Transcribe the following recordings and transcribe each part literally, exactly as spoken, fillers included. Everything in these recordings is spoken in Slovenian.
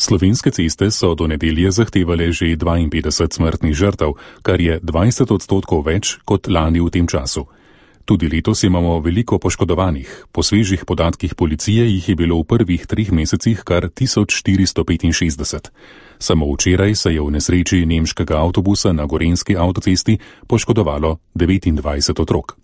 Slovenske ceste so do nedelje zahtevale že dvainpetdeset smrtnih žrtev, kar je dvajset odstotkov več kot lani v tem času. Tudi letos imamo veliko poškodovanih. Po svežih podatkih policije jih je bilo v prvih treh mesecih kar tisoč štiristo petinšestdeset. Samo včeraj se je v nesreči nemškega avtobusa na gorenjski avtocesti poškodovalo devetindvajset otrok.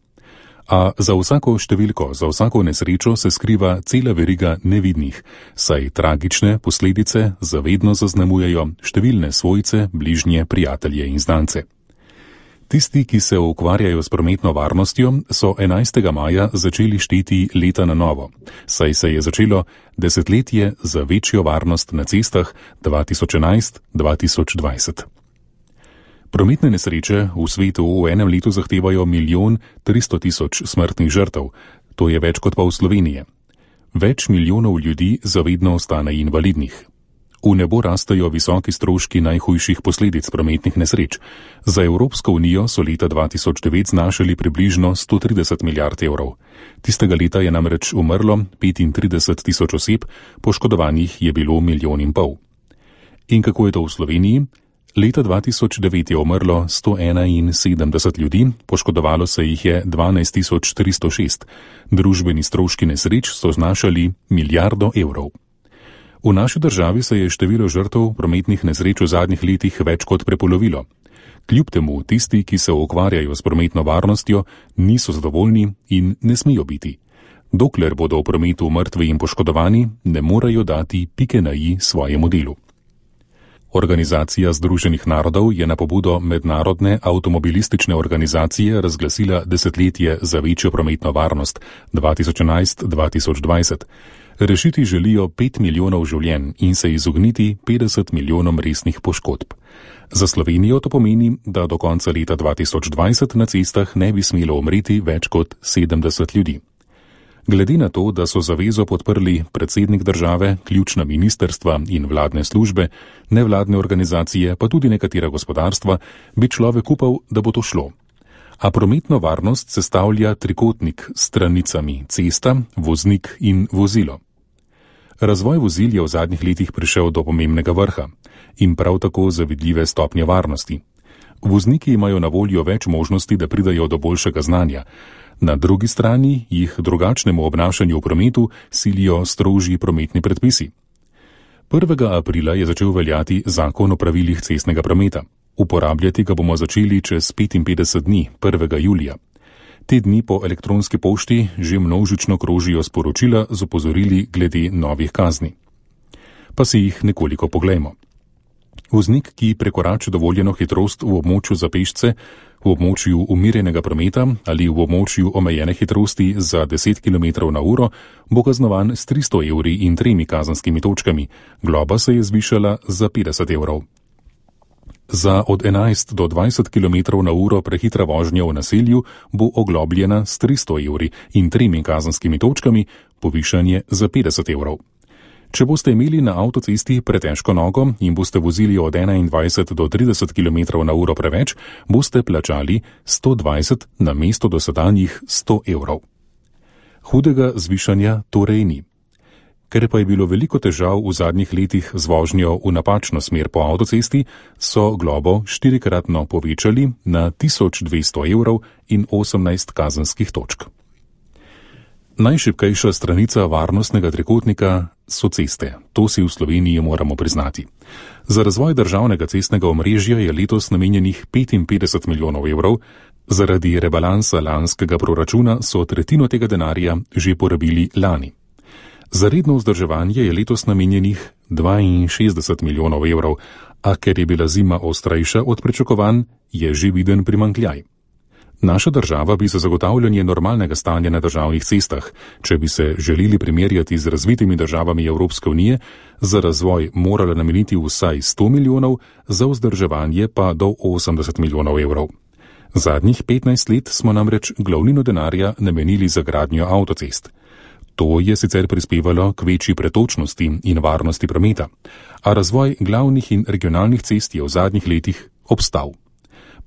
A za vsako številko, za vsako nesrečo se skriva cela veriga nevidnih, saj tragične posledice zavedno zaznamujejo številne svojce, bližnje, prijatelje in znance. Tisti, ki se ukvarjajo s prometno varnostjo, so enajstega maja začeli šteti leta na novo, saj se je začelo desetletje za večjo varnost na cestah dva tisoč enajst do dva tisoč dvajset. Prometne nesreče v svetu v enem letu zahtevajo milijon tristo tisoč smrtnih žrtev, to je več kot pa v Sloveniji. Več milijonov ljudi zavedno ostane invalidnih. V nebo rastejo visoki stroški najhujših posledic prometnih nesreč. Za Evropsko unijo so leta dva tisoč devet znašali približno sto trideset milijard evrov. Tistega leta je namreč umrlo petintrideset tisoč oseb, poškodovanih je bilo milijon in pol. In kako je to v Sloveniji? Leta dva tisoč devet je umrlo sto enainsedemdeset ljudi, poškodovalo se jih je dvanajst tisoč tristo šest. Družbeni stroški nesreč so znašali milijardo evrov. V naši državi se je število žrtev prometnih nesreč v zadnjih letih več kot prepolovilo. Kljub temu tisti, ki se ukvarjajo s prometno varnostjo, niso zadovoljni in ne smejo biti. Dokler bodo v prometu mrtvi in poškodovani, ne morejo dati pike na i svojemu delu. Organizacija Združenih narodov je na pobudo Mednarodne avtomobilistične organizacije razglasila desetletje za večjo prometno varnost dva tisoč enajst do dva tisoč dvajset. Rešiti želijo pet milijonov življenj in se izogniti petdeset milijonom resnih poškodb. Za Slovenijo to pomeni, da do konca leta dva tisoč dvajset na cestah ne bi smelo umreti več kot sedemdeset ljudi. Glede na to, da so zavezo podprli predsednik države, ključna ministerstva in vladne službe, nevladne organizacije, pa tudi nekatera gospodarstva, bi človek upal, da bo to šlo. A prometno varnost sestavlja trikotnik s stranicami cesta, voznik in vozilo. Razvoj vozil je v zadnjih letih prišel do pomembnega vrha in prav tako zavidljive stopnje varnosti. Vozniki imajo na voljo več možnosti, da pridajo do boljšega znanja. Na drugi strani jih drugačnemu obnašanju v prometu silijo strožji prometni predpisi. prvega aprila je začel veljati zakon o pravilih cestnega prometa. Uporabljati ga bomo začeli čez petinpetdeset dni, prvega julija. Te dni po elektronski pošti že množično krožijo sporočila z opozorili glede novih kazni. Pa si jih nekoliko poglejmo. Voznik, ki prekorači dovoljeno hitrost v območju za pešce, v območju umirjenega prometa ali v območju omejene hitrosti za deset kilometrov na uro, bo kaznovan s tristo evri in tremi kazenskimi točkami. Globa se je zvišala za petdeset evrov. Za od enajst do dvajset kilometrov na uro prehitra vožnja v naselju bo oglobljena s tristo evri in tremi kazenskimi točkami, povišanje za petdeset evrov. Če boste imeli na avtocesti pretežko nogo in boste vozili od enaindvajset do trideset kilometrov na uro preveč, boste plačali sto dvajset na mesto dosedanjih sto evrov. Hudega zvišanja torej ni. Ker pa je bilo veliko težav v zadnjih letih z vožnjo v napačno smer po avtocesti, so globo štirikratno povečali na tisoč dvesto evrov in osemnajst kazenskih točk. Najšibkejša stranica varnostnega trikotnika so ceste. To si v Sloveniji moramo priznati. Za razvoj državnega cestnega omrežja je letos namenjenih petinpetdeset milijonov evrov, zaradi rebalansa lanskega proračuna so tretjino tega denarja že porabili lani. Za redno vzdrževanje je letos namenjenih dvainšestdeset milijonov evrov, a ker je bila zima ostrejša od pričakovanj, je že viden primanjkljaj. Naša država bi za zagotavljanje normalnega stanja na državnih cestah, če bi se želeli primerjati z razvitimi državami Evropske unije, za razvoj morala nameniti vsaj sto milijonov, za vzdrževanje pa do osemdeset milijonov evrov. Zadnjih petnajst let smo namreč glavnino denarja namenili za gradnjo avtocest. To je sicer prispevalo k večji pretočnosti in varnosti prometa, a razvoj glavnih in regionalnih cest je v zadnjih letih obstal.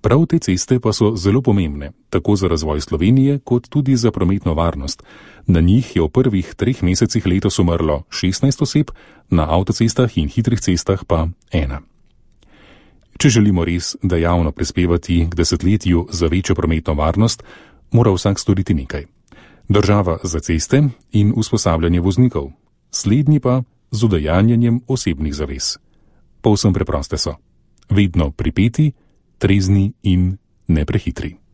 Prav te ceste pa so zelo pomembne, tako za razvoj Slovenije, kot tudi za prometno varnost. Na njih je v prvih treh mesecih letos umrlo šestnajst oseb, na avtocestah in hitrih cestah pa ena. Če želimo res dejavno prispevati k desetletju za večjo prometno varnost, mora vsak storiti nekaj. Država za ceste in usposabljanje voznikov, slednji pa z udejanjanjem osebnih zavez. Povsem preproste so. Vedno pripeti, trezni in neprehitri.